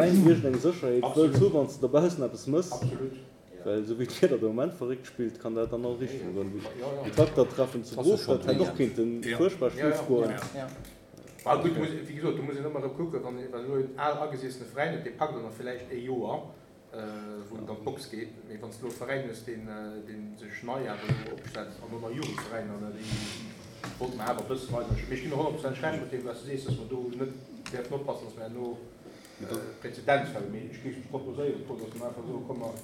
Iergend eng Sécherheet wëlls hu wann s de dobaussen eppes mëss, well esou wéi d'Wieder de Moment verréckt spillt, kann dat an all Richtung goen. Déi Traktertreffen zu Broof, dat hätt och kéinte fuerchtbar schif goen. Bah gutt, wéi gesot, do muss een ëmmer erëm kucken, wann een elo en al agesiessene Veräin huet, dee packt dann nach villäicht ee Joer, wou et an d'Box geet, mee wann s de elo e Veräin hues, deen sech nei awer elo opstellt, an och nach Jugendveräiner, déi wollte mer awer e bësse weider. Mee ech ginn der honnertprozenteg Recht mat deem, wat s de sees, datt mer do net däerfen oppassen, datt mer herno Präzedenzfäll, mee ech géif proposéieren, Paul, dass mer einfach soen, komm mer,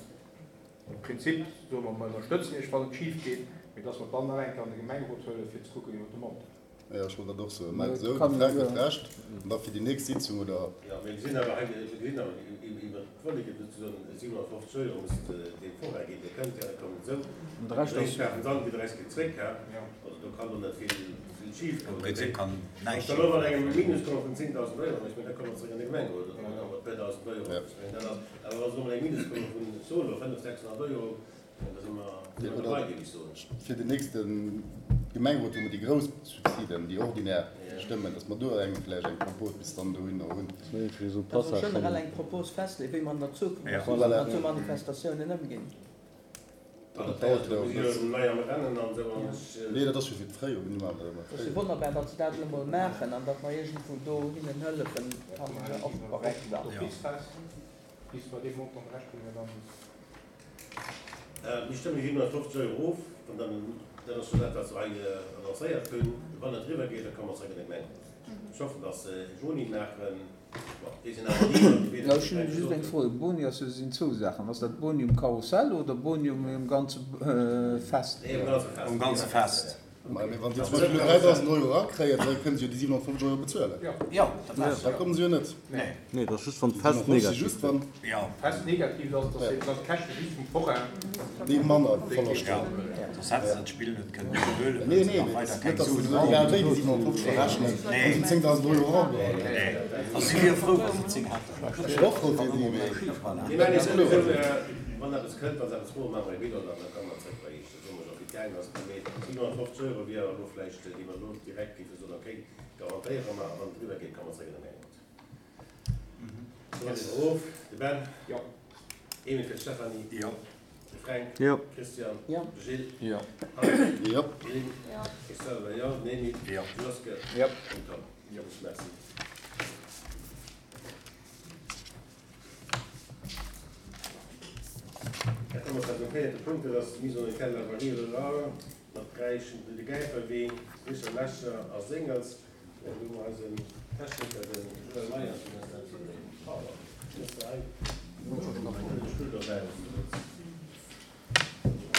am Prinzip soe mer, mer ënnerstëtzen Iech, wann et schif geet, mee dass mer dann nach eng Kéier an de Gemengerot huelen, fir ze kucken iwwert de Montant. Jo, ech wollt dat och soen. Mä esou, de Fränk huet Recht, an da fir déi nächst Sitzung oder. Jo, mee mir sinn awer hei, mir gesinn awer iwwert d'Volleke souzesoen 750 Euro muss deem Forain ginn, dee kënnt, ja, da kommen esou, De Rescht ass. Déi kafen se an, déi de Rest geet zréck, hä? Also do kann do net vill. Am Prinzip kann näischt schief goen. Engem Minus komme vun 10.000 Euro, ech mengen, da komme mer zréck an de Gemengerot, oder dann awer e puer dausend Euro. Ech mengen, dat ass, awer wa se elo mat engem Minus komme vun, soe elo, 500, 600 Euro, da si mer, si mer dobei, géif ech soen. Fir den nächste Gemengerot, wou mer déi grouss Subsiden, déi ordinär stëmmen, dass mer do eng vläicht eng Propos bis dann dohinner hunn. Dass mer generell eng Propos festleeën, wéi mer an der Zukunft mat esou Manifestatiounen ëmginn. Dat dauert jo och net. Nee, dat ass jo fir d'Fréijoer. Mir maachen dat ëmmer Et ass jo wonnerbar, datt se dat elo mol maachen an datt mer iergendwou do hinnen hëllefen, fannen ech och korrekt. Mir stëmme 750 Euro of, an dann, dat ass jo dat, wat se hei annoncéiert hunn. Wann et eriwwer geet, da komme mer zeréck an de Gemengerot. Ech hoffen, datt se e Boni maachen. Ech hunn just eng Fro, Boni ass jo, sinn zwou Saachen, ass dat Boni um Karussell oder Boni um ganze Fest? Um ganze Fest. Mä wann si zum Beispill elo 3.000 Euro erakréien, da kënnen si jo déi 750 Euro bezuelen. Jo, dat ass Da kommen se jo net. Nee, dat ass just wann d'Fest negativ gëtt. Fest negativ ass, dass eben dann d'Käschte just vum Forain. Déi manner Verloscht hunn. Soss hätt se dat Spill net kënnen iwwerhuelen, well se nach weider keng Suen brauchen. Egal wéi déi 750 verrechnen, wann se 10.000 Euro erageholl hätten. Nee, also si wiere frou, wa se 10 hätten. Ech wier och frou fir déi, mee. Mir maachen eis souwisou, wann eppes kënnt, wa se eppes froen, maache mer e Bilan an da komme mer zréck bei Iech. Da soe mer och, wéi et gaangen ass. Mee 750 Euro wier elo vläicht, déi mer elo direkt géife soen, okay, garantéiere mer, a wann et eriwwer geet, komme mer zréck an de Gemengerot. Of, de Ben. Jo. Emil fir d'Stéphanie. Jo. De Fränk. Jo. Christian. Jo. De Gilles. Jo. Hans. Jo. Lynn. Jo. Ech selwer jo. Den Emil. Jo. De Joske. Jo. Den Tom. Jo. Merci. Da komme mer zu eisem véierte Punkt, dat ass d'Mise en état de la voirie rurale mat Räichen, de Gäiferwee, Richer, Lecher a Séngels. Do hu mer eisen Techniker, den Joël Meyers, deen eis dat Pardon, hues de hei de Stull dobäi, dass du wëlls.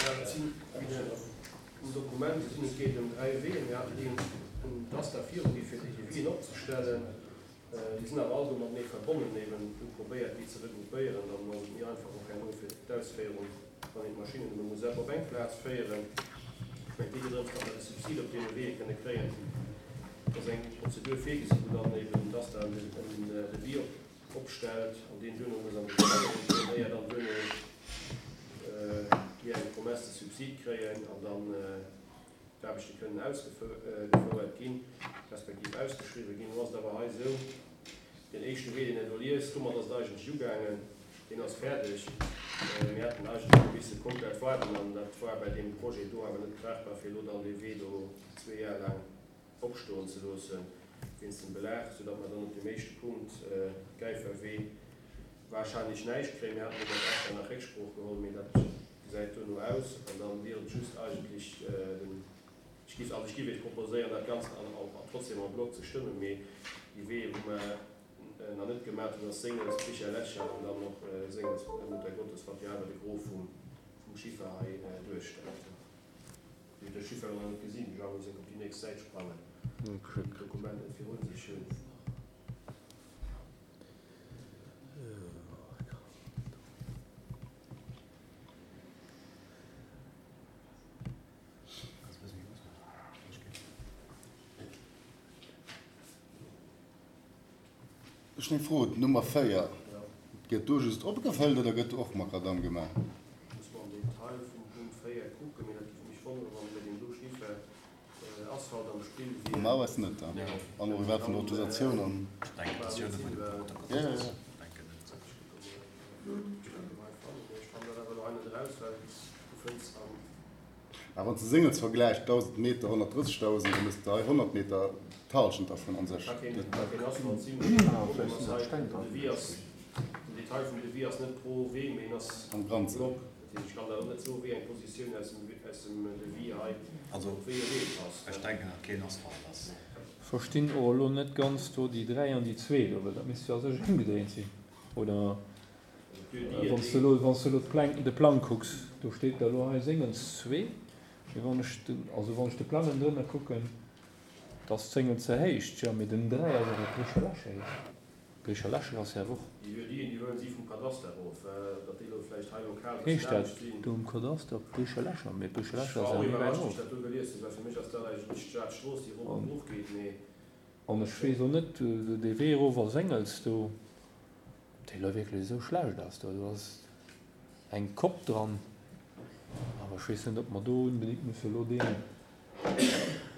Ja, dat sinn um Dokument gesinn, et geet ëm 3 Weeën. Mir haten déi un d'ASTA virugi fir déi Devisien opzestellen. Déi sinn awer all do matenee verbonnen, eben hu probéiert déi ze regroupéieren, dann ass et méi einfach och herno fir d'Ausféierung, wann een d'Maschinnen nëmme muss op eng Plaz féieren. Ech mengen, et geet jo drëms, datt mer de Subsid op deene Weeë kënne kréien. Et ass eng Prozedur virgesi wou dann eben d'ASTA en Devis opstellt an deen duerno muss an de Gemengerot goen, éier dann duerno mir eng Promesse de subside kréien an dann d'Aarbechte kënnen ausgefouert ginn, respektiv ausgeschriwwen ginn. Elo ass et awer hei esou, deen éischte Wee, deen Der do liest, domat ass et eigentlech ugaangen, deen ass fäerdeg. Mir hätten eigentlech elo misse komplett waarden an dat war bäi deem Projet do awer net tragbar, fir elo dann dee Wee do zwee Jar laang opstoen ze loossen wéinst dem Belag, soudatt mer dann op deem éischte Punkt, Gäiferwee, wahrscheinlech näischt kréien. Mir haten do mat ASTA nach Récksprooch geholl, mee dat gesäit duerno aus. An dann wier et just eigentlech den, ech géif, also ech géif Iech proposéieren, dat Ganzt an, trotzdem en bloc ze stëmmen, mee déi Weeë wou mer nach net gemat hunn, ass Séngels, Bicher, Lecher an dann och Séngels, Muttergottes, wat jo awer de Gros vum, vum Chiffer hei duerstellt. Déi huet de Chiffer nach net gesinn. De Jean muss enk op déi nächst Säit sprangen, déi d'Dokument net virun sech hunn. Ech hunn eng Fro, D'Nummer 4, gëtt do just opgefëllt oder gëtt do och Makadamm gemaach? Muss mer am Detail vum Punkt 4 kucken, mee dat géif mech wonneren, wann bei deem do Chiffer Asphalt am Spill wier. Normalerweis net, an och iwwerhaapt vun der Autorisatioun an. Ech denken, dat ass jo net bei dem Protokoll. Jo, jo, jo. Denken net. fënns am. Mä wann s de Séngels vergläichs, 1.000 Meter, 130.000, da méchs de hei 100 Meter d'Halschent dervun an sech. Ka keen, ka keen Asphalt sinn. De Problem ass hei, den Devis ass, den Detail vum Devis ass net pro Wee, mee en ass Am Ganzen. Block. Dat heescht, ech kann der och net soen, wéi eng Positioun aus dem, aus dem Devis hei Also, op wéi e Wee passt. ech denken, datt keen Asphalt ass. Verstinn och elo net ganz do déi 3 an déi 2 do, well dat misst jo a sech ëmgedréint sinn, oder? Wann s de elo, wann s de elo d'Pläng, de Plang kucks, do steet da elo hei Séngels 2, mee wann ech den, also wann ech de Plang ënnendrënner kucken, da ass d'Séngels ze héicht, jo, mee den 3 ass awer d'Bricher Lächer. D'Bricher Lächer ass jo awer och. Déi Lieu-diten, déi huelen si vum Kadaster erof, datt déi elo vläicht hei lokal e bëssen Heescht dat anescht sinn. do um Kadaster Bricher Lächer? Mee d'Bricher Ech Lächer war ass och awer méi wäit iwwerrascht, wéi erof. ech dat do gelies hunn, well fir mech ass dat eigentlech d'Stad Strooss, déi erop an d'Luucht geet, mee. An ech weess och net, dee Wee erof a Séngels do. Ob déi elo wierklech esou schlecht ass, do ass eng Kopp dran, awer ech weess net, ob mer do unbedéngt musse elo deen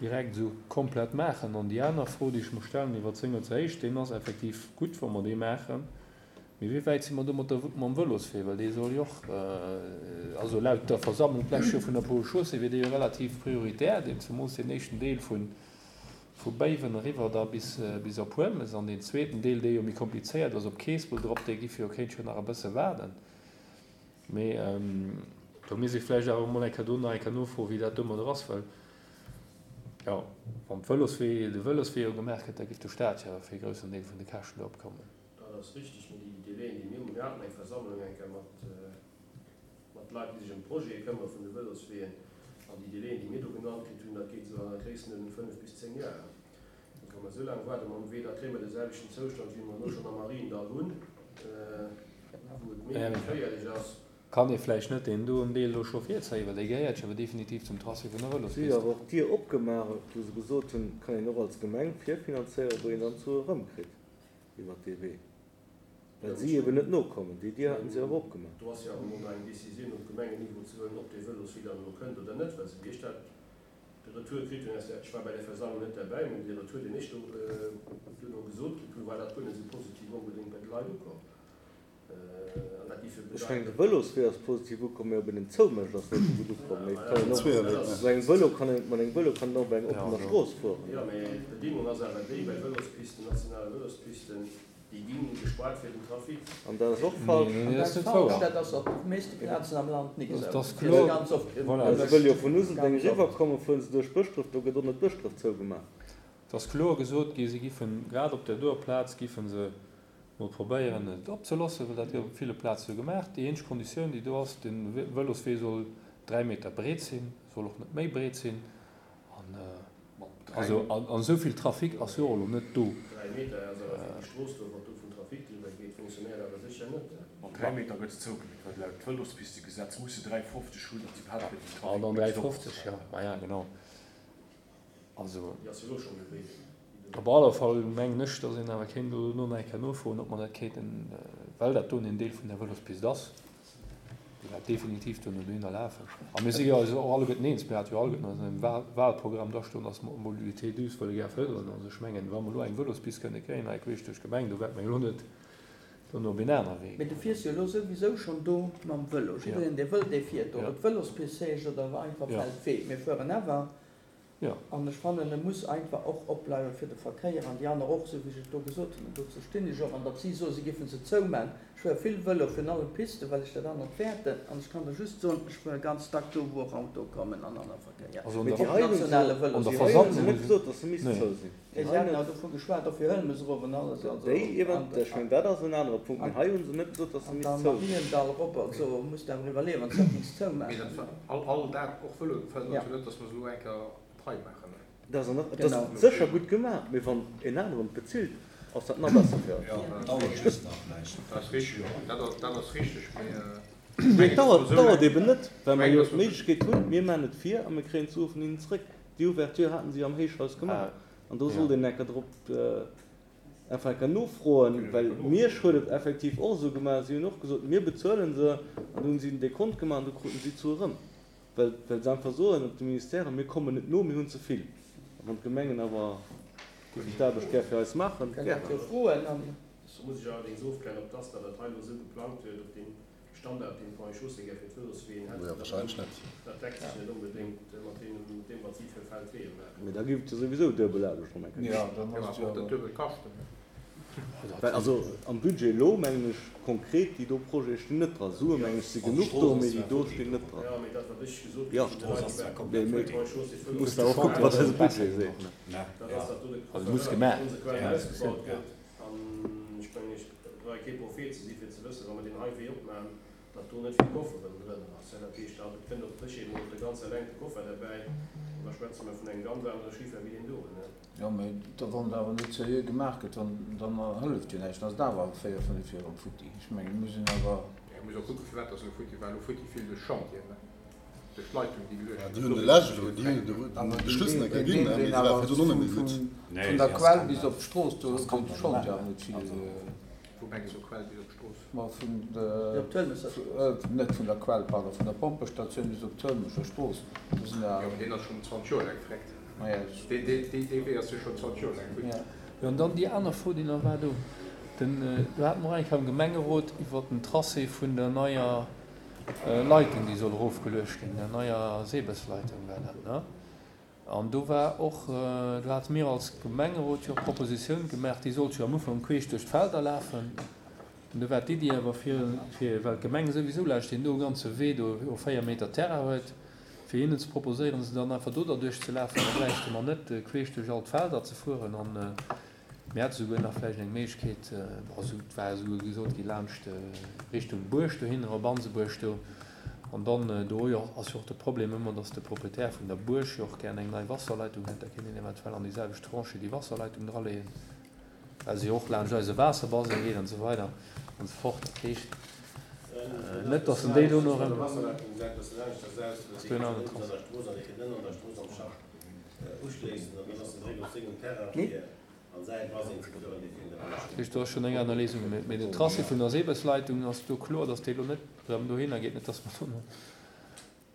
direkt esou komplett maachen. An déi aner Fro, déi ech mer stellen iwwert Séngelser Héicht, deen ass effektiv gutt, wa mer dee maachen, mee wéi wäit si mer do mat der, mam Vëloswee, well dee soll jo och, also laut der Versammlung d'lescht Joer vun der Pole Chaussée wier dee jo relativ prioritär, deen zemoos deen éischten Deel vun Vu Béiwen eriwwer da bis bis op Huelmes an deen zweeten Deel, dee jo méi komplizéiert ass, op Keespelt erop, dee giff jo kéint jo nach e bësse waarden. Mee do misst ee vläicht awer emol eng Kéier do nach eng Kéier nofroen, wéi dat domadder ass, well jo, wann d'Vëloswee, de Vëloswee jo gemaach gëtt, da giff de Staat jo fir e groussen Deel vun de Käschten do opkommen. Dat ass richteg, mee déi Délaiën, déi mir hunn, mir haten eng Versammlung eng Kéier mat, mat Leit, déi sech ëm d'Projete këmmere vun de Vëlosweeën, an déi Délaiën, déi mir do genannt kritt hunn, dat geet esou an der Gréisstenuerdnung 5 bis 10 Joer. Donc, wa mer esou laang waarde mam Wee, da kréie mer de selwechten Zoustand, wéi mer elo schonn am Mariendall hunn, wou et méi geféierlech ass. Kann ee vläicht net deen doen Deel elo scho virzéien, well dee gehéiert jo awer definitiv zum Tracé vun der Vëlospist. Si hu awer och d'Dier opgemaach, wou se gesot hunn, et kann een och als Gemeng virfinanzéieren, wou een dann d'Sue erëmkritt iwwert dee Wee. Well si eben net nokommen. Déi Dier haten si awer opgemaach. Do ass jo awer elo nach eng Décisioun op Gemengenniveau ze huelen, ob dee Vëloswee dann elo kënnt oder net. Well esou wéi ech dat de Retour kritt hunn aus der, ech war bei där Versammlung net derbäi, mä dee Retour, deen ech do duerno gesot kritt hunn, war dat guer net esou positiv onbedéngt bei de Leit ukomm. An dat géif jo Ech mengen, de bedeiten. Vëloswee ass positiv ukomm, mä ob een en zoumécht, ass net esou gutt ukomm. Mee et kann een och mat engem Vëlo kann een, mat engem Vëlo kann een och op enger oppener Strooss fueren. Jo, mä d'Bedingung ass awer déi, bei Vëlospisten, nationale Vëlospisten, Déi ginn gespaart fir den Trafic. An dat ass och falsch. An dat ass falsch, dat ass op de meeschte Plazen am Land nik esou. Dat ass kloer. Well se wëlle jo vun Useldeng eriwwer kommen, fuere se duerch Bëschdref, do gëtt och net Bëschdref zougemaach. Et ass kloer gesot gi, si giffen grad op där doer Plaz giffen se mol probéieren et opzeloossen, well dat gëtt op ville Plaze sou gemaach. Déi eenzeg Konditioun déi do ass, de Vëloswee soll 3 Meter breet sinn, soll och net méi breet sinn an Also an esou vill Trafic ass jo och elo net do. 3 Meter ass awer fir déi Strooss do, wat do vun Trafic driwwer geet, fonctionnéiert awer sécher net. Mat 3 Meter gëtt se zougemeet, well laut Vëlospistegesetz muss se 3,50 hunn, datt se iwwerhaapt fir den Trafic bis op. 3,50, jo, maja genau. Also. Déi ass jo elo scho méi breet. Op alle Fall mengen ech, datt een awer kéint elo nach eng Kéier nofroen, ob mer dat kéinten, well dat doen en Deel vun der Vëlospist ass, Déi wäert definitiv duerno dohinner lafen. A mir si jo eis och alleguerten eens, mir hate jo alleguerten an eisem Wahlprogramm drastoen, dass mer d'Mobilité douce wëlle gär fërderen. Also ech mengen, wa mer elo eng Vëlospist kënne kréien hei queesch duerch d'Gemeng, do wäerte mer jo elo net duerno op een aner Wee Mee goen. du fiers jo elo souwisou schonn do mam Vëlo. Jiddereen, dee wëll, dee fiert do. Ob et d'Vëlospist heescht oder einfach Feldwee, mir fueren awer. Jo. An ech fannen, e muss einfach och opbleiwe fir de Verkéier an déi aner och, esou wéi ech et do gesot hunn. An dozou stinn ech och. An datt si soen, si géife se zouman. Ech fuere vill Vëlo, virun allem Pisten, well ech dat anert fäerten. An ech kann der just soen, ech fuere ganz dack do, wou och Autoe kommen an aner Verkéier. Also an Mee der, déi hei hunn se, nationale an der déi hei hunn se Versammlung net hu se, gesot, datt se misst nee. zou sinn. Nee, Déi si hei haten net. awer dovu geschwat, och fir Hëlmes erof an alles. Also Déi an, event, ech mengen, dat ass en anere Punkt. Mee hei hu se net gesot, datt se an misst da zou sinn. Mariendall erop, also muss de awer iwwerleeën, wann s de dat misst Mee zoumaachen. dat war all, all dat, och Vëlo, fërdert Ja. jo net, datt mer se elo eng Kéier trei maachen. Dat ass an dat Genau. ass sécher gutt gemaach, mee wann en aneren et bezilt, ass dat nach besser fir eis. Jo, dat dauert just nach vläicht. Dat ass richteg, dat ass, dat ass richteg, mee ech Mee mengen, et datt dauert, mer esou dauert laang, eben net, well ech mer mengen, jo datt mer. d'Méiglechkeet hunn, mir maachen et vir a mir kréien d'Sue vun hinnen zréck. Déi Ouverture haten si am Héichhaus gemaach an do sollt een enker drop einfach enker nofroen, well Miersch huet et effektiv och esou gemaach, si hunn och gesot, mir bezuelen se an du hunn si en Dekont gemaach an du kruten si d'Sue erëm, well well se einfach soen op de Ministèren, mir kommen net no, mir hunn ze vill. A wann d'Gemengen awer géifen d'Aarbecht gär fir eis maachen, Kënnt dat gären. jo froen an. Do muss ech allerdéngs ofklären, ob d'ASTA dat hei elo esou geplangt huet op deem. Standard, deen d'Ponts et Chaussées gär fir d'Vëlosweeën hätten. Jo, wahrscheinlech net. Dat deckt sech net onbedéngt mat deem, wat si fir Feldweeë maachen. Mee da géif et jo souwisou duebel Aarbecht erëm eng Kéier Jo, dann ass et jo awer. Duebel Kaschten. Well also am Budget elo, mengen ech, konkret déi do Projete stinn net dra. Sue mengen ech si genuch do, mee déi do stinn net dra. Jo, mee dat, wat ech gesot Jo, kritt vun de Leit, déi mee bei Ponts et Chaussées du muss awer och kucken, wat eise Budget seet, ne? Dat ass, datt do de Also muss gemaach konsequent ginn. ausgebaut gëtt. An ech mengen, ech brauch kee Prophet ze si fir ze wëssen, wa mer deen hei Wee opmachen, datt do net vill Kofferen drënner ass. Dat heescht, da kënnt op d'Dréchheet emol de ganz eleng de Koffer derbäi an da schwätze mer vun engem ganz anere Chiffer wéi deen doen. Jo, mä da wann et awer net seriö gemaach gëtt, dann, dann hëlleft jo näischt, dann ass et awer 4, 5 Joer erëm futti. Ech mengen, et muss een awer. Jo, et muss och kucken, firwat ass elo futti, war elo futti vill duerch Chantieren, ne? Duerch d'Leitung, déi geluecht ginn ass. Déi hunn de Lech elo, déi hunn de Schluss nach ginn, mee se war virdrun och net méi gutt. Vun der Quell bis op d'Strooss, do gouf de Chantier awer net vill. Wou mengs du Quell bis op d'Strooss? Ma vun de, net vun der Quell, pardon, vun der Pompestatioun bis op d'Hëlmecher Strooss, do sinn der. Jo, mee deen ass schonn 20 Joer laang vreckt. Dee Wee ass jo schonn 20 Joer laang futti. Jo, an dann déi aner Fro, déi nach war do, den, do hate mer och eng Kéier am Gemengerot iwwert den Tracé vun der neier Leitung, déi soll erofgeluecht ginn, der neier Sebesleitung war dat, ne? An do war och, do hate mir als Gemengerot jo och d'Propositioun gemaach, déi sollt jo am Ufank queesch duerch d'Felder lafen. An do war d'Iddi awer fir, fir, well d'Gemeng souwisou laanscht deen do ganze Wee do jo 4 Meter Terrain huet, fir hinnen ze proposéieren, se dann einfach do derduerch ze lafen, da bräichte mer net queesch duerch all d'Felder ze fueren. An mir hate souguer nach vläicht eng Méiglechkeet, bon, et war esouguer gesot gi laanscht Richtung Buerg dohinner, op Ansebuerg do. An dann, do jo ass jo och de Problem ëmmer, dass de Proprietär vun der Buerg jo och gären eng nei Wasserleitung hätt. Da kéint een eventuell an déi selwecht Tranchée déi Wasserleitung draleeën, well se jo och laanscht eise Waasserbaseng geet an esou weider an esou fort. Dat heescht net, dass en déi do nach ëm. Ass do en aneren Tracé? Dat heescht, do ass schonn eng aner Léisung. Mee den Tracé vun der Sebesleitung ass do kloer, dass déi elo net erëm dohinner geet, net dass mer do,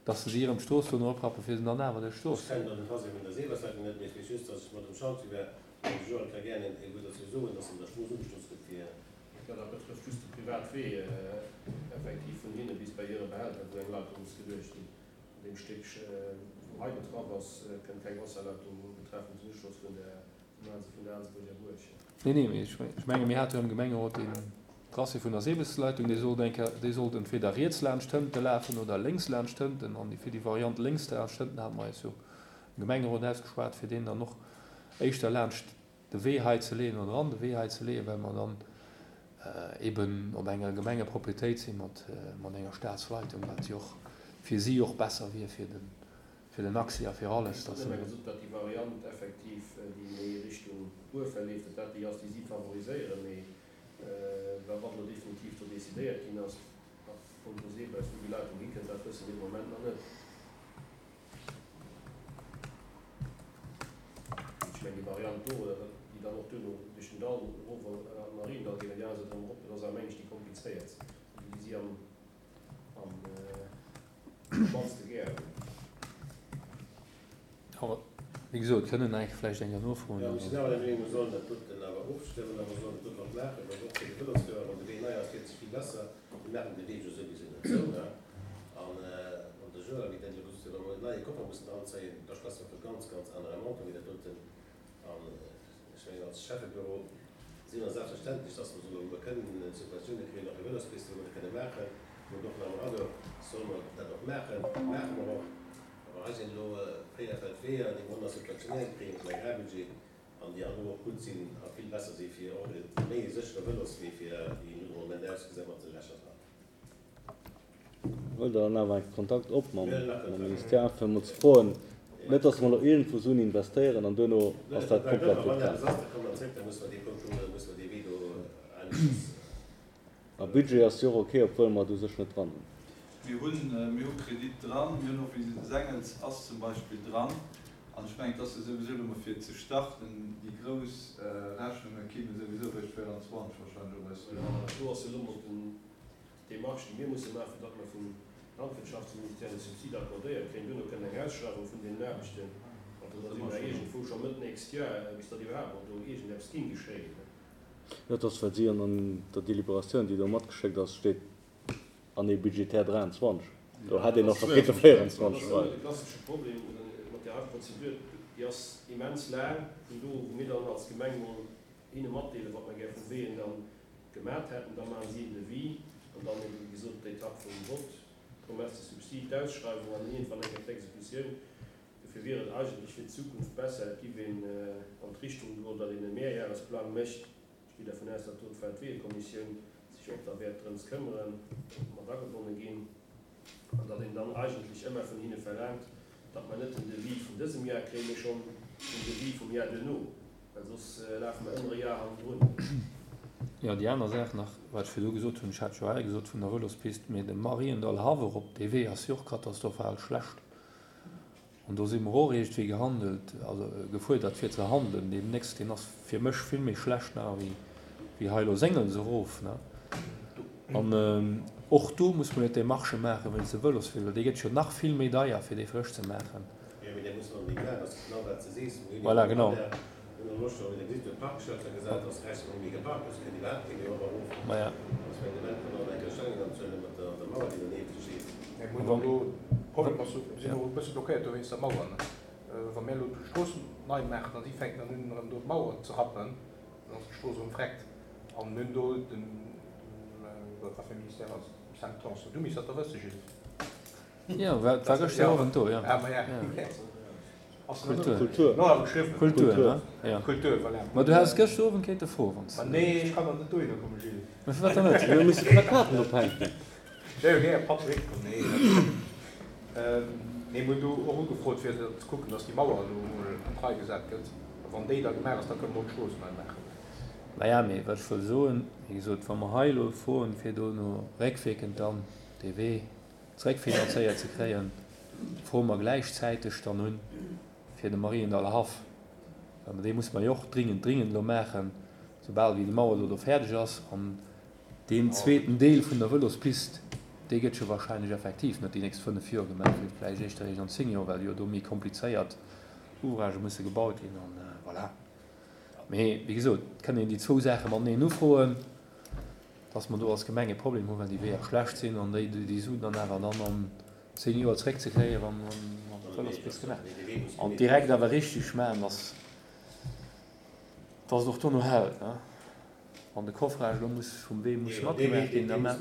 dass se si erëm d'Strooss do eroprappe fir se dann awer duerch d'Strooss. Ech kennen den Tracé vun der Sebesleitung net, mee ech weess just, dass ech mat dem Chantier war an de Joël ka gären e wuert dozou soen, dass an der Strooss ugeschloss gëtt fir. Jo, dat betrëfft just de Privatwee effektiv vun hinne bis bei hire Behälter, wou eng Leitung muss geluecht ginn. An deem Stéck, wou hei betraff ass, kënnt keng Wasserleitung betreffend den Uschloss vun der vun der Aansebuerger Buerg. Nee, nee, mee ech menge mir hate jo am Gemengerot deen Tracé vun der Sebesleitung, dee sollt eng Kéier, dee sollt entweder riets laanscht hënte lafen oder lénks laanscht hënten. An fir déi Variant lénks laanscht hënten hate mer eis jo am Gemengerot ausgeschwat, fir deen dann och éischter laanscht de Wee hei ze leeën oder an de Wee hei ze leeën, well mer dann eben op enger Gemengeproprietéit si mat enger Staatsleitung, wat jo och fir si och besser wier fir den fir den Accès a fir alles, dass. Ech hunn ëmmer gesot, datt déi Variant effektiv, déi méi Richtung Buer verleeft, datt dat déi ass, déi si favoriséieren. Mee wa wat elo definitiv do decidéiert ginn ass, a punkto Seebus, wou déi Leitung hikënnt, dat wësse mir de Moment nach net. Ech mengen, déi Variant do, déi dann och duerno duerch den Dall erof an den Mariendall geet an déi aner Säit erëm erop, dat ass awer, meng ech, déi komplizéiertst, déi déi si am mannste gär hunn. Awer, wéi gesot, kënnen eng vläicht eng nofroen. Jo, ech sinn awer der Meenung, mer sollen dat doten awer ofstëmmen a mer sollen dat doten och maachen, well och fir de Vëlosfuerer, wann de Wee nei ass, wier et vill besser. Mir maachen de Wee jo souwisou net zou, ne? An wann de Joël, wéi dat elo gesot huet, wa mer en neie Koffer mussen dranzéien, da schwätze mer vu ganz, ganz anere Montant wéi dat doten. An ech mengen, als Schäffebüro si mer selbstverständlech, dass mer solle wou mer kënnen Subventioune kréien, och fir Vëlospisten, wou mer dat kënne maachen, wou et och nach am Radar, solle mer dat och maachen, maache mer och. Awer hei sinn elo 4 Feldweeër, déi mer ënnersubventionéiert kréien aus dem Agrarbudget an déi an och gutt sinn a vill besser si fir och e méi séchere Vëloswee fir déi elo de Moment ausgesinn mat de Lächer dran. Huelt Der dann awer enke Kontakt op mam Ministère, fir emol ze froen, net datt mer elo iergendwou Suen investéieren an duerno ass dat komplett vacant. A Budget ass jo och ok, obwuel mer et u sech net dran hunn. Mir hunn, mir hu Kredit dran, mir hunn och, wéi Sengels ass zum Beispill dran. An ech mengen, et ass jo souwisou elo mol fir ze starten, déi grouss Rechnunge kime souwisou eréischt 24 wahrscheinlech op eis duer. Do ass jo elo mol den D'Demarche, déi mir musse maachen, fir datt mer vum Landwirtschaftsministère de Subside accordéiert kréien, duerno kënnt eng Ausschreiwung vun deenen Aarbechten, an da si mer iergendwou scho Mëtt nächst Joer, bis datt iwwerhaapt mol do iergendeppes géing geschéien. Dat ass, well si an der Deliberatioun, déi do matgeschéckt ass, steet. Année budgétaire 23. Do hätt een och scho kéinte 24 Dat ass ëmmer de klassesche Problem mat där hei Prozedur, déi ass immens laang, vun do u wou mir dann als Gemeng mol hinne matdeelen, wat mer gär vun Weeën dann gemat hätten, da maachen si en Devis an dann ebe wéi gesot d'Etapp vum Vott, d'Promesse de subside, d'Ausschreiwung an dann iergendwann eng Kéier d'Exekutioun. Dofir wier et eigentlech fir d'Zukunft besser, et giff een an d'Richtung goen, datt een e Mehrjahresplang mécht. Ech gi dervun aus, datt do d'Weltweeëkommissioun sech och da wäert drëms këmmeren, mat agebonne ginn, an datt een dann eigentlech ëmmer vun hinne verlaangt, datt mer net den Devis vun dësem Jar kréien, mee schonn den Devis vum Jar duerno, well soss lafe mer ëmmer e Jar hannendrun. Jo, déi aner Saach nach, wat ech virdu gesot hunn, ech hat jo hei gesot vun der Vëlospist, mee de Mariendall Haff erop, dee Wee ass jo och katastrophal schlecht. An do si mer och iergendwéi gehandelt, also gefuerdert fir ze handelen deemnächst. Deen ass fir mech vill méi schlecht nach wéi wéi hei elo Séngels erof, ne. An och do muss mer jo d'Demarchë maache wéinst de Vëloswee, well dee gëtt jo nach vill méi deier fir dee frësch ze maachen. Jo, mee dee muss mer onbedéngt maachen, ass genau wat s de sees. Mir hunn jo Voilà, genau. Mir hunn elo scho wéi Der gesitt, huet Parkschëlter gesat, dass rechts ronderëm méi geparkt ass, kënnt iwwerhaapt kee méi op a erof. Maja. Dass mir den Ament dann eng Kéier Stellung anzuhuelen mat der der Mauer, déi dernieft steet. Mir hunn elo, de Problem ass, mir sinn elo e bësse blockéiert do wéinst der Mauer, ne. Wa mir elo d'Strooss nei maachen a si fänken dann un erëm do d'Mauer ze rappen, dann ass d'Strooss erëm vreckt. An mir hunn do dem, wat fir e Ministère ass et, dem Sam Tanson, du misst dat da wësse Gilles. Jo, war gëschter Owend do, jo. Ah, maja. Kultur. Kultur. Kultur, ne? Jo. Kultur, voilà. Ma du häss gëschter Owend kéinte froen, wann s de. Ma nee, ech kann der net dohinner kommen, Gilles. Ma firwat dann net? Mir musse Plakaten ophänken. Ech wär jo gär e Papp zeréckkomm. Nee, dat. Nee, mir hunn do och ugefrot, fir ze kucken, dass déi Mauer elo emol an d'Rei gesat gëtt. A wann déi da gemaach ass, da kënne mer och d'Strooss nei maachen. Maja, mee wat ech wëll soen, wéi gesot, wa mer hei elo froen, fir do no réckwierkend dann dee Wee zeréckfinanzéiert ze kréien, froe mer gläichzäiteg dann un fir de Mariendaller Haff, well dee musse mer jo och dringend, dringend elo maachen, soubal wéi déi Mauer elo do fäerdeg ass. An deen zweeten Deel vun der Vëlospist, dee gëtt jo wahrscheinlech effektiv net déi nächst 5 Joer gemaach, mee vläicht éischter eréischt an 10 Joer, well jo do méi komplizéiert Ouvragë musse gebaut ginn. An voilà. Mee wéi gesot, et kënn een déi zwou Saache mateneen ufroen. dass mer do als Gemeng e Problem hunn, well déi Weeër schlecht sinn an déi déi Suen dann awer dann an 10 Joer zréckzekréien, wann d'Vëlospist gemaach ass. An direkt awer richtig maachen, dass dass et och dono hält. Wann de Coffrage elo muss vum Wee muss matgemaach ginn, da maache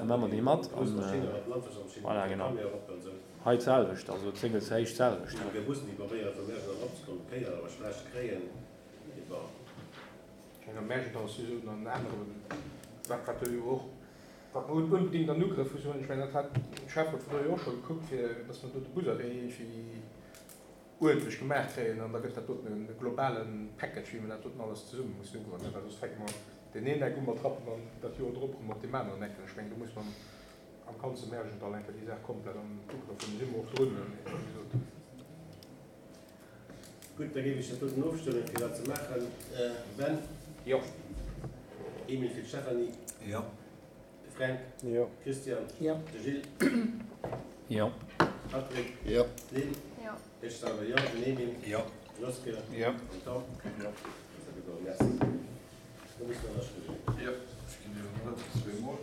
mer dee mat. An voilà, genau. Hei d'selwecht, also d'Séngelshéicht d'selwecht. Ech mengen, dat ass jo esou en anere, wat wat do jo och, wat mer onbedéngt an Ugrëff mussen huelen. Ech mengen, dat hat de Schäfferot vun do jo och scho gekuckt, fir datt mer do de Busarrêt iergendwéi uerdentlech gemaach kréien. An da gëtt dat doten e globale Package, wéi mer dat doten alles zesumme mussen ugoen, well soss fänke mer deen een Eck u mat rappen an dat Joer drop erëm op deem aneren Eck. Ech mengen, do muss mer am ganze Märjendall eng Kéier déi Saach komplett an Ugrëff huelen. Do si mer och drun, wéi gesot. Gutt, da géif ech dat doten ofstëmmen, fir dat ze maachen. Ben? Jo. Emil fir d'Stéphanie? Jo. De Fränk? Jo. Christian? Jo. De Gilles? Jo. Patrick? Jo. D'Lynn? Jo. Ech selwer jo. Den Emil? Jo. Den Oscar? Jo. Den Tom? Jo. Dat ass gedoen. Merci. Da muss mer ënnerschriwwen. Jo, ech ginn dir en Drëtt zweemol.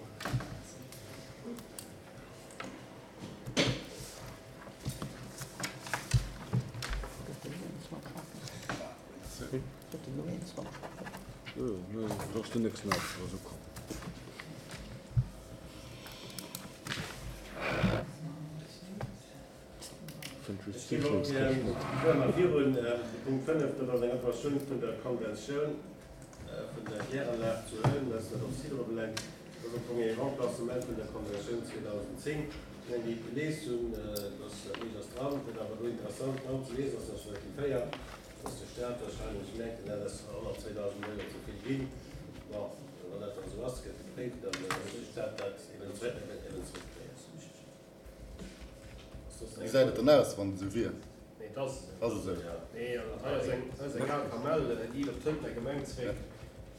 Ech ginn op fuere mer virun. De Punkt 5, dat ass eng Approbatioun vun der Konventioun vun der Kläranlag zu Hëllen, wat dat Site ubelaangt. Dat ass am Fong ee Remplacement vun der Konventioun 2010. Ech mengen, déi et gelies hunn, dass dat meescht ass dran. Wat awer do interessant dran ze liesen ass, ass Artikel 4, dass de Staat wahrscheinlech mengt, dat ass 102.000 Euro ze vill ginn. Bon, wann dat dann esou ass, gëtt gepréift an da muss de Staat dat eben zréckkréien. Wéi gesäit et dann aus, wann et esou wier? Nee, et ass esou. Ass esou. Nee, an dat hei ass eng, hei ass eng al Kamell, déi geet op d'Hëntener Gemeng zréck,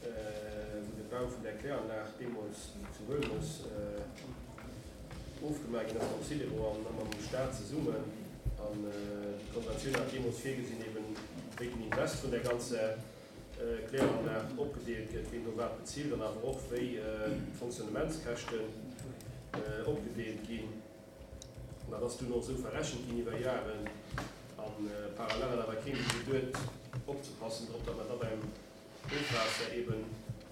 wou de Bau vun där Kläranlag deemools zu Huelmes ofgemaach ginn ass mam Sidero an mam Staat zesummen. An déi Konventioun hat deemools virgesinn, eben wéi den Invest vun där ganzer Kläranlag opgedeelt gëtt, wien do wat bezilt an awer och wéi d'Fonctionnementskäschten. Opgedeelt ginn. An dat ass dunn och esou verrechent ginn iwwer Jaren. A parallel hat awer keen dru geduet opzepassen drop, datt mer da beim Ofwaasser eben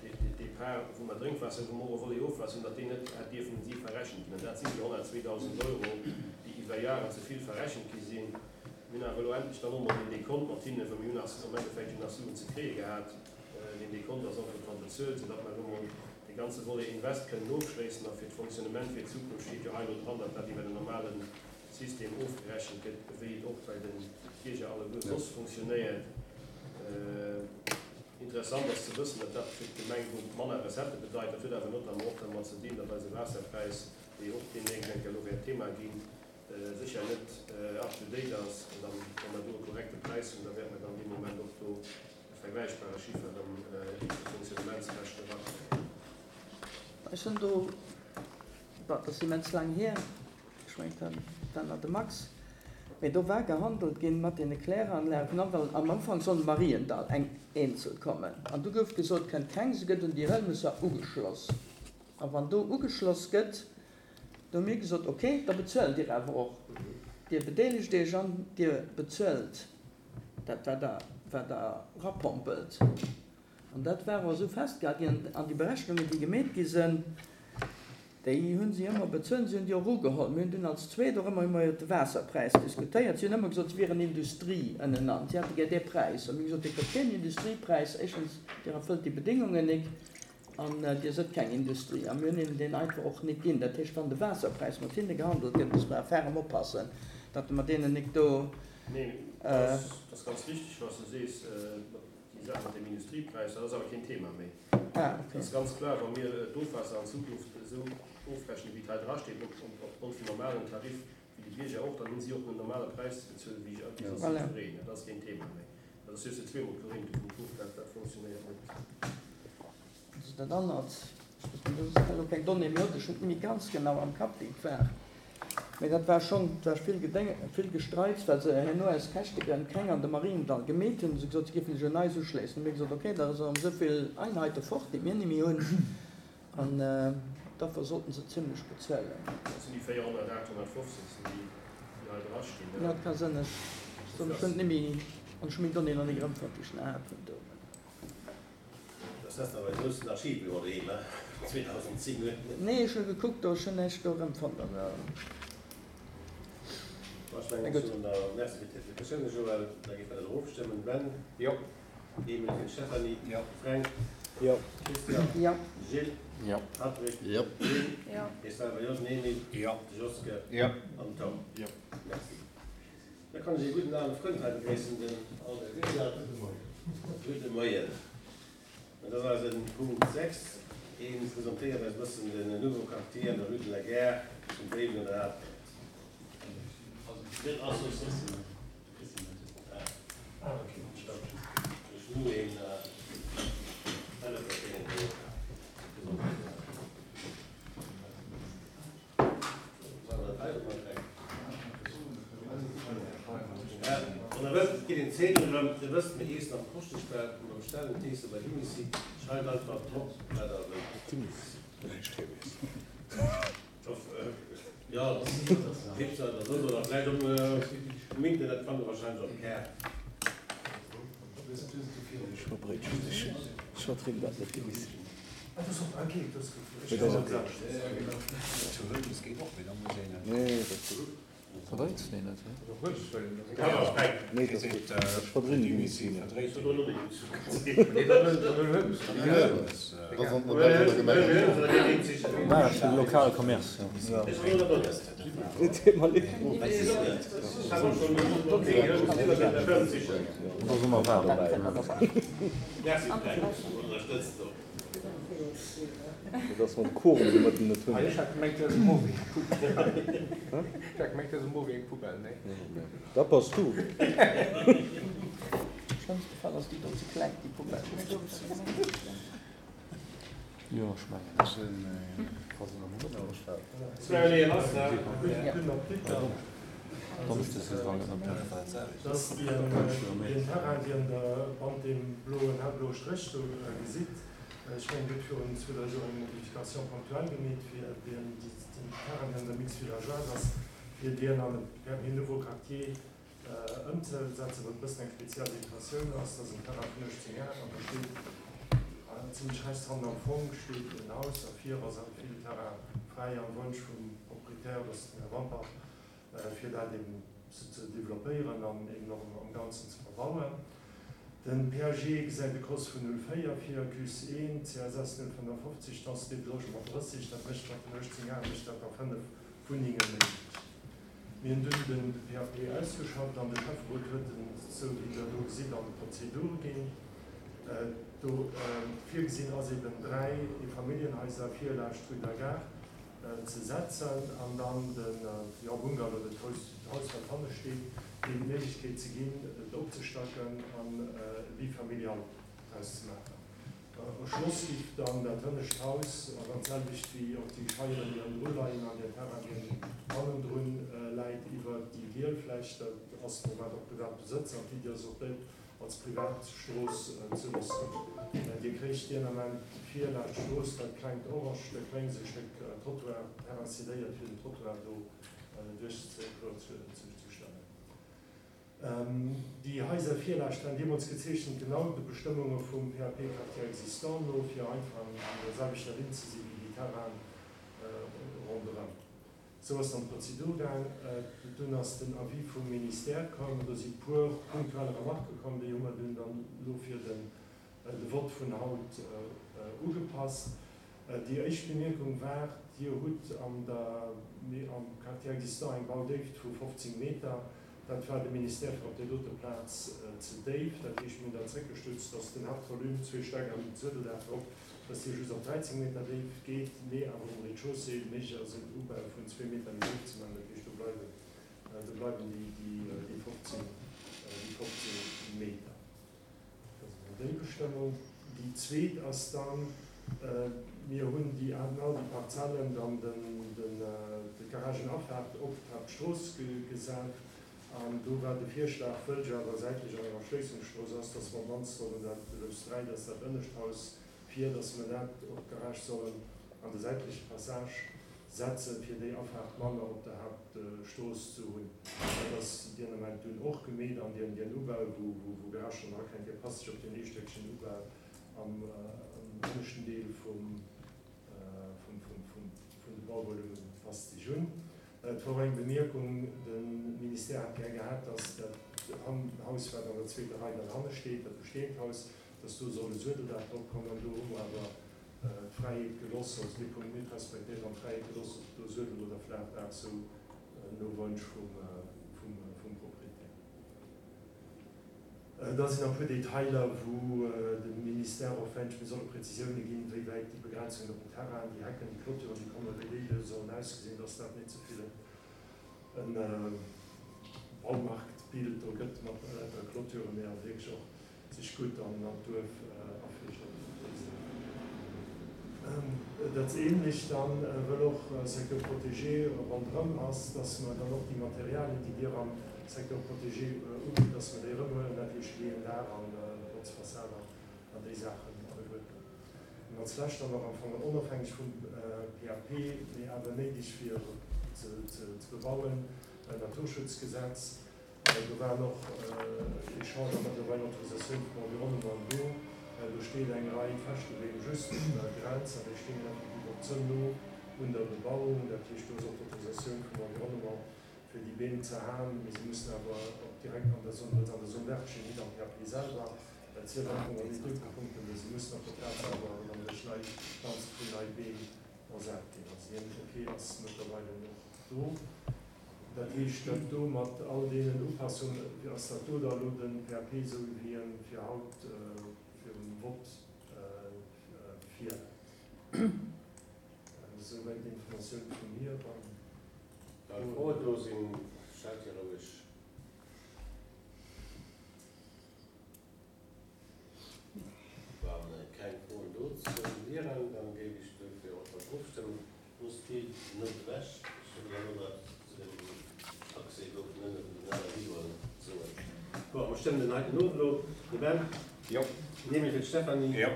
dee Part, wou mer Drénkwaasser hunn, wou mer och e Volet Ofwaasser hunn, datt deen net hätt dierfen un si verrechent ginn. An dat sinn déi 102.000 Euro, déi iwwer Jaren ze vill verrechent gi sinn. Mir hunn awer elo endlech dann och emol deen Dekont mat hinnen, well mir hunn nach am Endeffekt jo nach Suen ze kréie gehat. Deen Dekont ass entretemps bezuelt, soudatt mer elo emol dee ganze Volet Invest kënnen ofschléissen. A fir d'Fonctionnement fir d'Zukunft steet jo hei elo dran, datt dat iwwer en normale System ofgerechent gëtt, wéi et och bei de Bierger alleguer soss fonctionnéiert. Interessant ass ze wëssen, datt dat fir d'Gemeng do manner Recettë bedeit. Dat huet awer notamment och dermat ze dinn, datt eise Waasserpräis, dee jo och deemnächst eng Kéier elo wäert Thema ginn, sécher net up to date ass. An dann, wa mer do e korrekte Präis hunn, da wäerte mer dann dee Moment och do e vergläichbare Chiffer erëm iwwert de Fonctionnementskäschten erakréien. Ech hunn do, bon, dat ass immens laang hier, ech mengen, dat war nach de Max, mee do war gehandelt ginn mat deene Kläranlagen, well am Ufank soll de Mariendall eng eenzel kommen. An du gouf gesot, kënnt keng, se gëtt un déi Hëlmesser ugeschloss. A wann do ugeschloss gëtt, Do hu mir gesot, ok, da bezuelt Dir awer och. Dir bedeelegt Iech an Dir bezuelt dat, wat Der, wat Der erapompelt. An dat war och esou festgehal ginn. An déi Berechnungen, déi gemeet gi sinn, déi hu si ëmmer bezuelt. Si hunn déi och ugeholl. Mir hunn dunn als Zweet och ëmmer iwwer de Waasserpräis diskutéiert. Si hunn ëmmer gesot, si wieren Industrie ënnenan. Si hätte gär dee Präis. A mir hu gesot, Dir kritt keen Industriepräis. Éischtens, Dir erfëllt déi Bedéngungen nik. An Dir sëtt keng Industrie. A mir hunn hinnen deen einfach och nik ginn. Dat heescht, wann de Waasserpräis mat hinne gehandelt gëtt, muss mer ferrem oppassen, datt mer deenen nik do. Neen, dat ass ganz richtig, wat s de sees, déi Saach mat dem Industriepräis, dat ass awer keen Thema méi. Et ass ganz kloer, wa mir d'Ofwaasser an Zukunft esou ofrechnen, wéi et hei drasteet, opgrond vum normalen Tarif, wéi de Bierger och, dann hu si och den normale Präis ze bezuelen, wéi soss jiddwereen. Dat ass keen Thema méi. Dat ass just de zweemol d'Korinthe vum Kuch, dat dat funktionéiert net. Also dat anert, ech weess elo keng Donnée méi, ech hunn et net méi ganz genau am Kapp wéi et war, mee dat war schonn, et war vill Gedéng, vill Gestreits, well se herno aus Käschtegrënn keng an de Mariendall gemeet hunn, hu se gesot, se géifen sech un eis uschléissen. Hu mir gesot, okay, da ass erëm esou vill Einheite fort, déi mir net méi hunn. An d'Affer sollten se zimlech bezuelen. Dat sinn déi 400, 850 sinn déi, déi hei dra stinn, ne? Jo, et ka sinn. Ech soen, ech hunn et net méi, an ech hu meng Donnéeën nach net erëmfonnt, déi ech nach hat vun do. Das ass awer e groussen Archiv elo doheem, he? 2010 huet. Nee, ech hu gekuckt do, ech hunn näischt do erëmfonnt. Also. Bon, ech mengen, ech soen der Merci fir d'Explikatiounen, Joël. Da géife mer dat och ofstëmmen. Ben? Jo. Emil fir d'Stéphanie. Jo. Fränk. Jo. Christian. Jo. Gilles. Jo. Patrick. Jo. Lynn. Jo. Ech selwer jo. Den Emil. Jo. De Joske. Jo. An den Tom. Jo. Merci. Da kann ech ee gudden ale Frënd hei begréissen, den Albert Wiseler. Gudde Moien. Gudde Moien. Dat ass eisen Punkt 6. Hie presentéiert eis e bëssen den Nouveau Quartier an der Rue de la Gare zum Béiwen an der Atert. Wann der wëllt, kritt een Zedel erëm. Dir wësst, mir eessen am Koschteschbett, mer bestellen d'Eesse bei Dimisi. Schreift einfach drop, wat der wëllt. Jo, Website oder soss, oder vläicht um Internet fannt der wahrscheinlech och d'Kaart. Ech vertrinn dat net gewiss. Verdréits deen net? Lokale Commerce. Et ass mam Quorum de Mëtten net hunn. Ech hat gemengt du häss e Move eng Poubelle. Ech hat gemengt du häss e Move eng Poubelle, nee. Dat bass du. Am schlëmmste Fall ass déi do ze kleng, déi Poubelle. Jo, ech mengen. Dass dien Terrain, dien Der bannent deem bloen, hellbloe Stréch do gesitt. Ech mengen, Dir hutt virun zwou, dräi Joer eng Modification ponctuelle gemeet, fir deen Terrain, deen an der Mix villageoise ass, fir deen an e PAP Nouveau Quartier ëmzesetzen, wat e bëssen eng speziell Situatioun ass. Dat ass en Terrain vun 18 Ar an do steet zimlech rechts hannen am Fong steet en Haus a vir ass awer vill Terrain fräi am Wonsch vum Proprietär, dat ass den Här Wampach, fir dat eben ze developpéieren an eben och am Ganzen ze verbauen. Den PAG gesäit e Kost vun 0,4 vir, CUS 1, CSS 0,55, Densité de logement 30, dat mécht mat den 18 Ar mécht dat da 5 Wunnenge méiglech. Mir hunn dunn de PAP ausgeschafft an de Schäfferot huet en, esou wéi Der do gesitt, an d'Prozedur ginn. Do virgesinn ass eben 3 Eefamilljenhaiser vir laascht d'Rue de la Gare ze setzen an dann de, jo, Bungalow oder d'Haus, d'Haus wat hanne steet, deem d'Méiglechkeet ze ginn, et opzestacken an e Bifamilial draus ze maachen. Erschloss giff dann dat hënnescht Haus, an dann d'selwecht wéi och déi Scheieren, déi hannendru leien an deen Terrain, deen hannendrun läit, iwwer déi giel Fläch. Dat ass de Moment och privat Besëtz an d'Iddi ass och déi, als Privatstrooss ze loossen. Dir kréicht deen Ament vir laanscht d'Strooss dat klengt orange Stéck lénks, e Stéck Trottoir, Terrain cédéiert fir den Trottoir do duerch ze stellen. Déi Haiser vir laanscht waren deemools gezeechent genau de Bestëmmunge vum PAP Quartier existant no, fir einfach an der selwechter Linn ze si wéi déi Terrainen ronderëm. Sou ass dann d'Prozedur gaang. Dunn ass den Avis vum Ministère komm. Do si puer punktuell Remarquë komm, déi hu mer dunn dann elo fir de Vott vun haut ugepasst. Déi éischt Bemierkung war, Dir hutt an der, am Quartier existant eng Baudéift vu 15 Meter. Dat war dem Ministère fir op där dote Plaz ze déif. Dat heescht, mir hunn dat zréckgestutzt, dass den Haaptvolume, zwee Stäck an den Suedeldaach drop, dass dee just op 13 Meter déif geet, mee awer um Rez-de-chaussée méiglech ass en Ubau vun zwee Meter méi déif ze maachen. Dat heescht, do bleiwen, do bleiwen déi, déi 15, déi 15 Meter. Dat ass emol déi Bestëmmung. Déi zweet ass dann, mir hunn déi all déi Parzellen dann den, den, de Garagenafaart op d'Haaptstrooss gesat. An do war de Virschlag, wëll jo awer säitlech an enger Erschléissungsstrooss ass, dass mer mannst sollen dat, de Lous 3, dass dat ënnescht Haus vir, dass mer dat och d'Garage sollen an de säitleche Passage setzen, fir déi Afaart manner op der Haaptstrooss ze hunn. Dat ass deen Ament dunn och gemeet an deen, deen Ubau, wou, wou Garage dann erakennt, dee passt sech op deen eestéckegen Ubau am ënneschten Deel vum, vum, vum, vum, vun de Bauvolume passt sech un. Et war och eng Bemierkung, de Ministère hätt gär gehat, dass dat Haus, wat an der zweeter Rei dann hanne steet, dat bestehend Haus, dass do soll e Suedeldaach drop kommen. Do hu mer awer d'Fräiheet geloss, also dee Punkt net respektéiert an d'Fräiheet geloss, ob do Suedel oder Flaachdaach, sou no Wonsch vum Proprietär. Da sinn nach e puer Detailer, wou de Ministère och wénscht, mir solle Präzisioune ginn, wéi wäit déi Begrenzungen op den Terrainen, déi Hecken, déi Clôturen, déi kommen, wéi déi sollen ausgesinn, dass dat net ze vill e Baumarktbild do gëtt mat lauter Clôturen, mee awer wierklech och sech gutt an d'Duerf afleegt op déi Säit. Dat Ähnlecht dann, wëll och Secteur protégé ronderëm ass, dass mer dann och déi Materialien, déi Dir am Secteur protégé ubitt, dass mer déi erëmhuelen, dat heescht Leeën, Daach an Botzfassaden an déi Saachen alleguerten. An als lescht dann nach am Fong onofhängeg vum PAP, mee awer néideg fir ze bebauen, Naturschutzgesetz. Do waren och Echangen mëttlerweil Autorisatioun vum Environnement do. Do steet eng Rei Fächtebeem just un der Grenz an déi stinn effektiv och ze no un der Bebauung. Dat heescht, do ass och d'Autorisatioun vum Environnement fir déi Beem ze haen. Mee se mussen awer och direkt an der Zone, well se an der Zone verte stinn, nit am PAP selwer. Dat zielt am Fong an déi dote Punkten, mee se mussen op der Plaz selwer erëm an duerch nei Planze vun nei Beem ersat ginn. Also deen Ok ass mëttlerweile och do. Dat heescht, dat do mat all deenen Upassungen, ass dat do da elo de PAP esou wéi en fir haut virum Vott virläit. Esouwäit d'Informatioun vu mir. Wa Froen do sinn, stellt déi roueg. Wa keng Froen dozou wieren, da géif ech duerfir och dann ofstëmmen. Loosst déi net ewech. Ech wëll elo nach zu dem Accès do vun ënnen vun den anere Videoen soen. Bon, mer stëmmen den heiten of elo. De Ben? Jo. Nehme fir d'Stéphanie? Jo.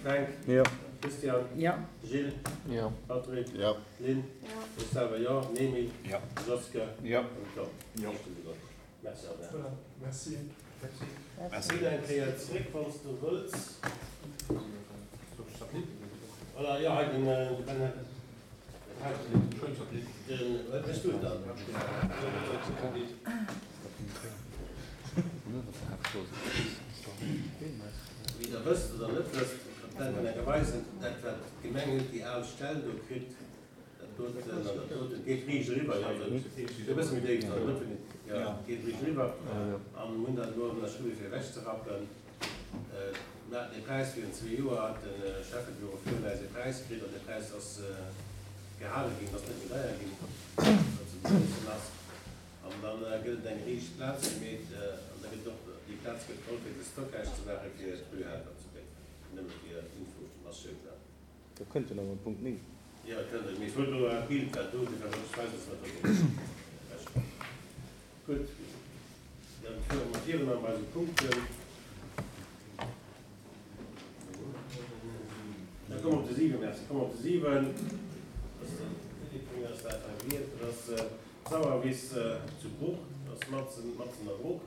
Fränk. Jo. Christian. Jo. Gilles. Jo. Patrick. Jo. Lynn. Jo. Ech selwer jo. Nemy. Jo. Joske. Jo. An Tom. Jo. Merci Albert. Voilà, merci. Merci. Ginn eng Kéier zréck, wann s du wëlls. Voilà, jo, hei den Ben hat den, wat méchs du dann? Wéi der wësst oder net wësst, dat wäert mer enke weisen, dat wat d'Gemeng huet, déi al Stell do kritt, dat doten an dat doten, geet riicht eriwwer, jo, e bësse méi déif dann, net vun, jo, geet riicht eriwwer an hunn dat elo ënnerschriwwen fir ewechzerappen. Mir haten ee Präis virun zwee Joer, hat de Schäffebüro virun äis ee Präis kritt an dee Präis ass gehale ginn, ass net méi deier ginn, wat ze begrëssen ass. An da gëtt et eng riicht Plaz gemeet an da gëtt och déi Plaz gëtt geholl fir de Stockage ze maache fir d'Rue Helper zu Péiteng. Nëmme fir Informatioun dann. Da kënnt en awer Punkt 9. Jo, et kënnt en. Mee ech wollt elo dat Bild wat do, dofir wollt ech weisen, dass dat do ewech ass. Gutt, dann fuere mer virun an eise Punkten. Da komme mer op de 7, merci, komme mer op de 7. Dat ass de Philippe vun mir ass dat hei gewielt. Dat ass d'Sauerwiss zu Bruch, dat ass matzen, matzen a Bruch.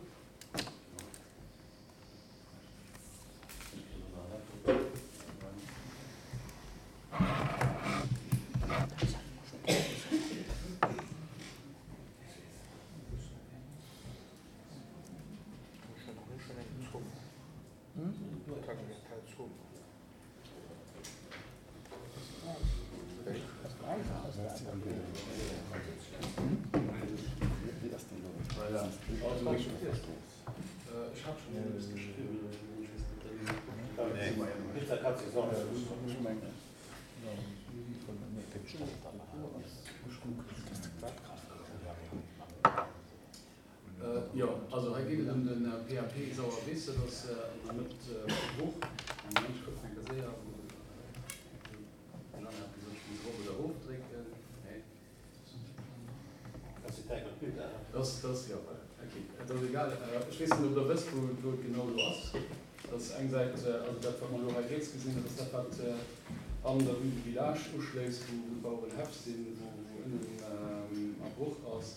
Jo, also hei geet et ëm de PAP Sauerwiss. Dat ass an der Mëtt vu Bruch. Moment, ech kucken eng Kéier séier. Den Jeanne hat gesot, ech muss erop oder erofdrécken. Nee. Dat ass, dat ass, jo, voilà. Ok, et ass egal. Ech weess net, ob Der wësst, wou wou et genau elo ass. Dat ass eng Säit, also dat, wat mer elo hei riets gesinn, dat ass dat, wat an der Rue du Village uschléisst, wou d'Bauerenhäff sinn, wou wou ënnen a Bruch ass.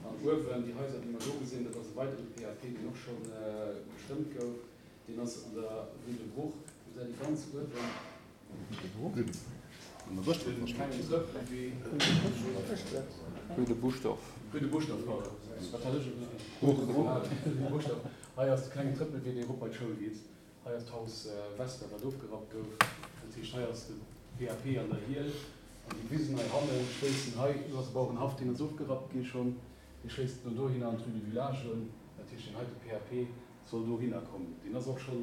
An uewen, déi Haiser, déi mer do gesinn, dat ass e weidere PAP, deen och scho gestëmmt gouf. Deen ass an der Rue de Bruch. Do säit Dir ganz uewen. Dee klengen Trëppelwee. Rue de Buschdorf. Rue de Buschdorf, pardon. Wat hat ech elo gesot? Rue de Bruch. Rue de Buschdorf. Hei ass de klengen Trëppelwee, dee erop bei d'Schoul geet. Hei ass d'Haus Wester, wat ofgerappt gouf. Dat heescht, hei ass de PAP an der Hiel. An déi Wisen hei hanne schléissen hei, do ass e Bauerenhaff, deen ass ofgerappt gi schonn, dee schléisst no dohinner an d'Rue du Village un. Dat heescht, deen heite PAP soll dohinner kommen. Deen ass och scho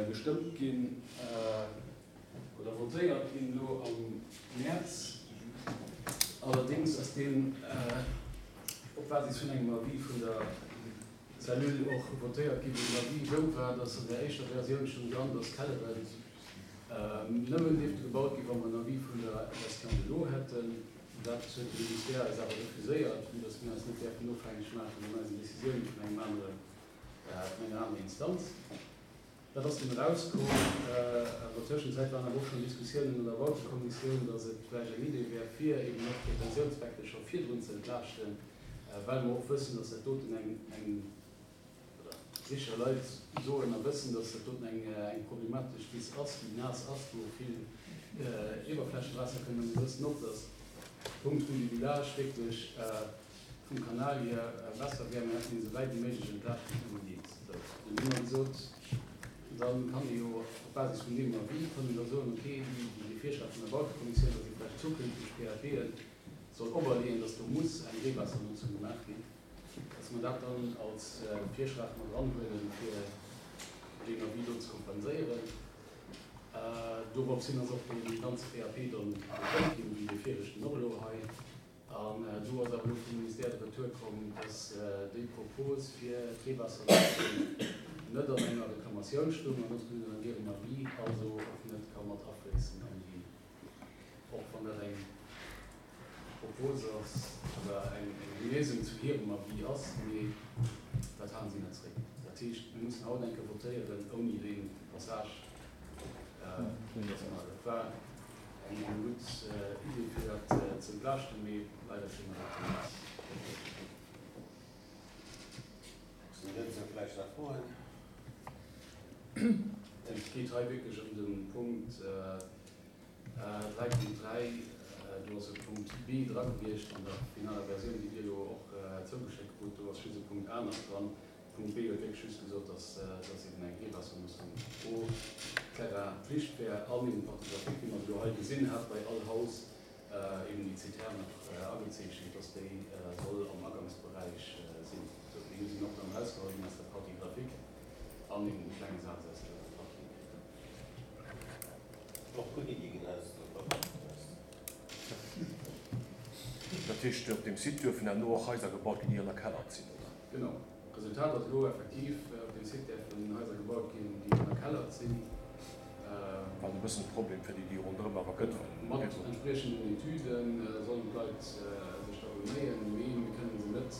gestëmmt ginn oder votéiert ginn elo am Mäerz. Allerdéngs ass deen op Basis vun engem Avis vun der Cellule och votéiert ginn, wou den Avis esou war, dass an der éischter Versioun stoung dran, dass Kelleren nëmmen dierfte gebaut ginn, wa mer en Avis vun der Gestion de l'eau hätten. Dat huet de Ministère eis awer refuséiert, vue dass mir eis net däerfen ofhängeg maachen an eisen Décisiounen vun engem anere, vun enger anerer Instanz. Dat ass dunn erauskomm. An der Tëschenzäit waren awer och schonn Diskussiounen an der Bautekommissioun, dass et vläicht eng Idee wär, fir eben och d'Retentiounsbecke scho virdrun ze entlaaschten, well mer och wëssen, dass dat doten eng, eng, oder sécher Leit soen a wëssen, dass dat doten eng, eng problematesch Wiss ass, déi naass ass, wou och vill Iwwerflächewaasser kënnt. A mir wëssen och, dass Punkt Rue du Village wierklech vum Kanal hier besser wär, mir hätten een esou wäit wéi méiglech entlaaschten onbedingt. Sou, dann hu mer gesot, da kann ee jo op Basis vun deem Avis, kann een da soen, okay, déi, déi Virschlag vun der Bautekommissioun, datt ee vläicht zukünfteg PAPen soll operleeën, datt do muss eng Reewaassernotzung gemaach ginn, datt mer dat dann als Virschlag mat eranhuelen, fir deen Avis do ze kompenséieren. Dorops hin ass och dee ganze PAP dann gestëmmt ginn, wéi dee viregten och elo hei. An do ass awer elo vum Ministère de Retour komm, dass déi Propos fir d'Reewaassernotzung net an enger Reklamatioun stoung an och net an hirem Avis, also och net ka mat afléissen an déi, och wann dat eng Propos ass oder eng Léisung zu hirem Avis ass, mee dat halen si net zréck. Dat heescht, mir mussen haut eng Kéier votéieren ouni dee Passage. Dat war eng gutt Idee fir dat ze entlaaschten, mee leider kréie mer dat net. Sinn dozou vläicht nach Froen? Et geet hei wierklech ëm de Punkt 3.3. Do ass e Punkt B dra gewiescht an der finaler Versioun, déi Dir elo och zougeschéckt krut. Do ass just e Punkt A nach dran. Punkt B huet wierklech just gesot, dass dass eben eng Reewaassermoossung pro Terrain Pflicht wär an eben d'Partie graphique, wéi mer se elo hei gesinn, hat bei all Haus eben déi Zitern nach agezeechent, dass déi soll am Agangsberäich sinn. Sou, déi sinn och dann erausgeholl ginn aus der Partie graphique an eben de klenge Saz aus der Partie écrite. Och gutt Iddie ginn aus der Partie eraus. Dat heescht, op deem Site duerfen herno och Haiser gebaut ginn, déi ënnerkellert sinn, oder? Genau. D'Resultat ass elo effektiv, op deem Site däerfen Haiser gebaut ginn, déi ënnerkellert sinn. Wat e bëssen e Problem fir déi, déi ronderëm awer gëtt, well. Mat entspriechenden Etüde sollen d'Leit sech da beméien, mee mir kënnen se net,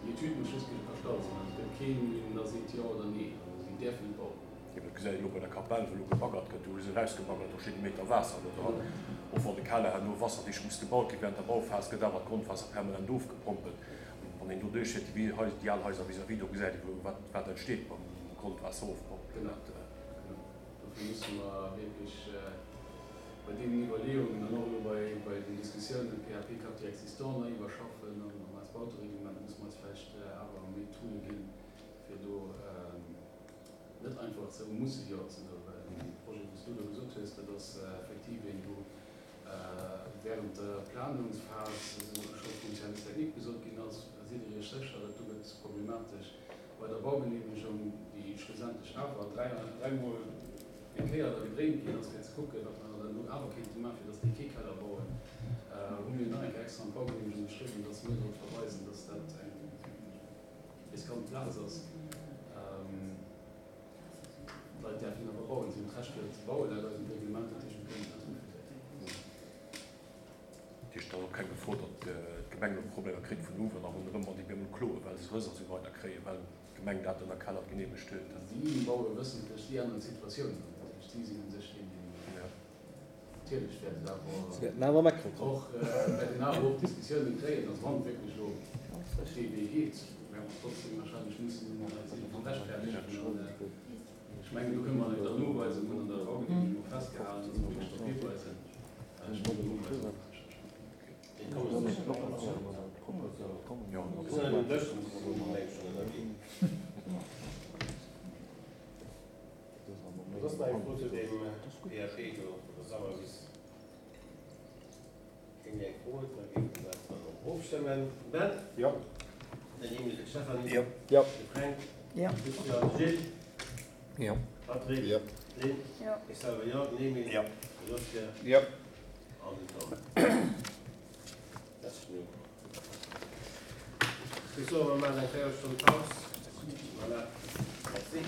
déi Etüd muss just erstallt sinn, also et gëtt keen, deen da seet jo oder nee, also si däerfen et bauen. Jo, dat gesäit een elo bei der Kapell, wou elo gebaggert gëtt, do hu se erausgebaggert, do steet e Meter Waasser elo dran, och wann de Keller herno wasserdicht muss gebaut ginn. Während der Bauphas gëtt awer d'Grondwaasser permanent ofgepompelt. Wann een do duerchfiert, déi déi al Haiser vis-à-vis, do gesäit ee wou wat wat entsteet beim Grondwaasserofpompelen. Genau, genau. Dofir musse mer wierklech bei deenen Iwwerleeungen an och elo bei bei den Diskussiounen PAP Quartier existant nei iwwerschaffen an an eist Bautereglement musse mer eis vläicht awer méi Toole ginn, fir do net einfach ze musse Jo ze soen, well dee Projet, wou s du do gesot hues, dat ass effektiv een, wou Während der Planungsphas esou scho vum Service technique gesot ginn ass, sidd Dir Iech sécher, dat do gëtt problematesch bei der Baugenehmegung, déi schlussendlech awer dräimol gekéiert a gedréint ginn ass, fir ze kucken, wat mer dann elo awer kéinte maachen, fir dass déi kee Keller bauen, hu mir nach eng Kéier extra an d'Baugenehmegung geschriwwen, dass mir drop verweisen, dass dat eng riskant Plaz ass. D'Leit däerfen awer bauen, si hunn d'Recht fir ze bauen laut eisem Reglement, dat heescht mir kënnen et net refuséieren. Dat heescht, et ass och keng Gefor, datt d'Gemeng elo Problemer kritt vun uewen a ronderëm, wann déi op eemol kloen, well se Rëss a sou weider kréien, well d'Gemeng dat ënnerkellert geneemegt huet. Si baue wëssentlech, si änneren d'Situatioun dann. Dat heescht, si sinn u sech deen, deen. Natierlech wäert et awer och, wäert een awer och Diskussiounen kréien, also wann et wierklech elo dee Wee geet, wäerte mer trotzdem wahrscheinlech mussen eis iergendwann rechtfäerdegen. An ech mengen, do kënne mer an der Noweisung hunn an der Baugenehmegung och festgehalen, dass mer wierklech drop hiweisen. Ech mengen, do hu mer eis och sécher. Soss nach eng Fro zu deem PAP do vun der Sauerwiss? Keen déi eng Fro huet, da géife mer dat dann och ofstëmmen. Ben? Jo. Den Emile, d'Stéphanie? Jo. De Fränk? Jo. De Christian, de Gilles? Jo. Patrick? Jo. D'Lynn? Jo. Ech selwer jo. Den Emile? Jo. De Lucien? Jo. An den Tom. Merci. Ech soen, mer maachen eng Véierelstonn Paus. Voilà. Merci.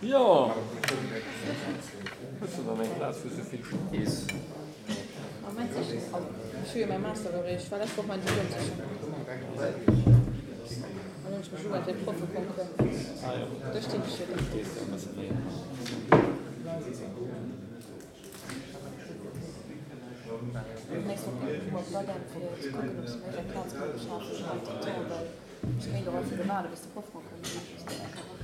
Jo, hues de dann eng Plaz wou souvill stees? Ech hu jo mäi Master erreecht, war lescht Woch mäin Diplom sichen. An hunn ech mech ugemellt fir de Proffeconcours. Do stinn ech jo dann. D'nächst Woch ginn ech mol op d'ADEM fir ze kucken, ob se mir eng Plaz kënne beschafen entretemps, well ech kéint och einfach do waarde bis de Proffeconcours gemaach ass.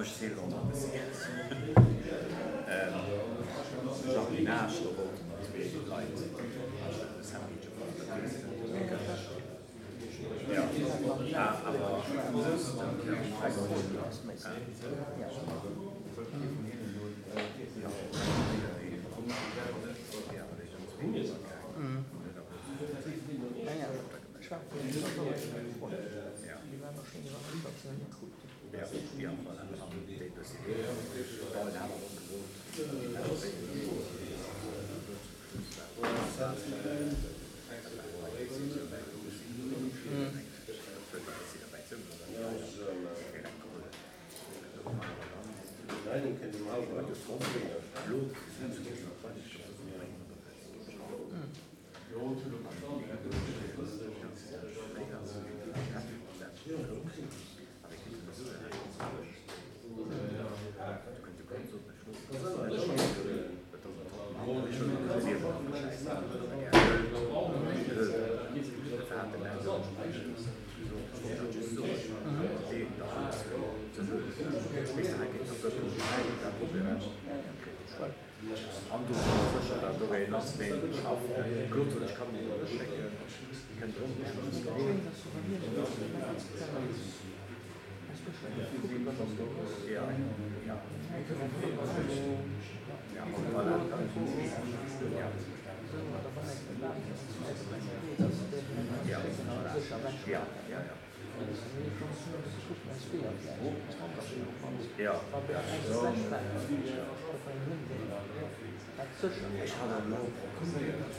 Ech zielen och nach e bëssi. Jardinage, do wollten nach zwee Leit e Sandwich op der Wiss. Jo, ah, awer wëll. An do sinn ech sécher, dat do een ass, deen schafft. Claude sot, ech kann deen elo schécken, dee kënnt erëm. Ja, ja. Ja, voilà. Ja. Ja, voilà. Ja, ja, ja. Ja. Ech hat elo proposéiert,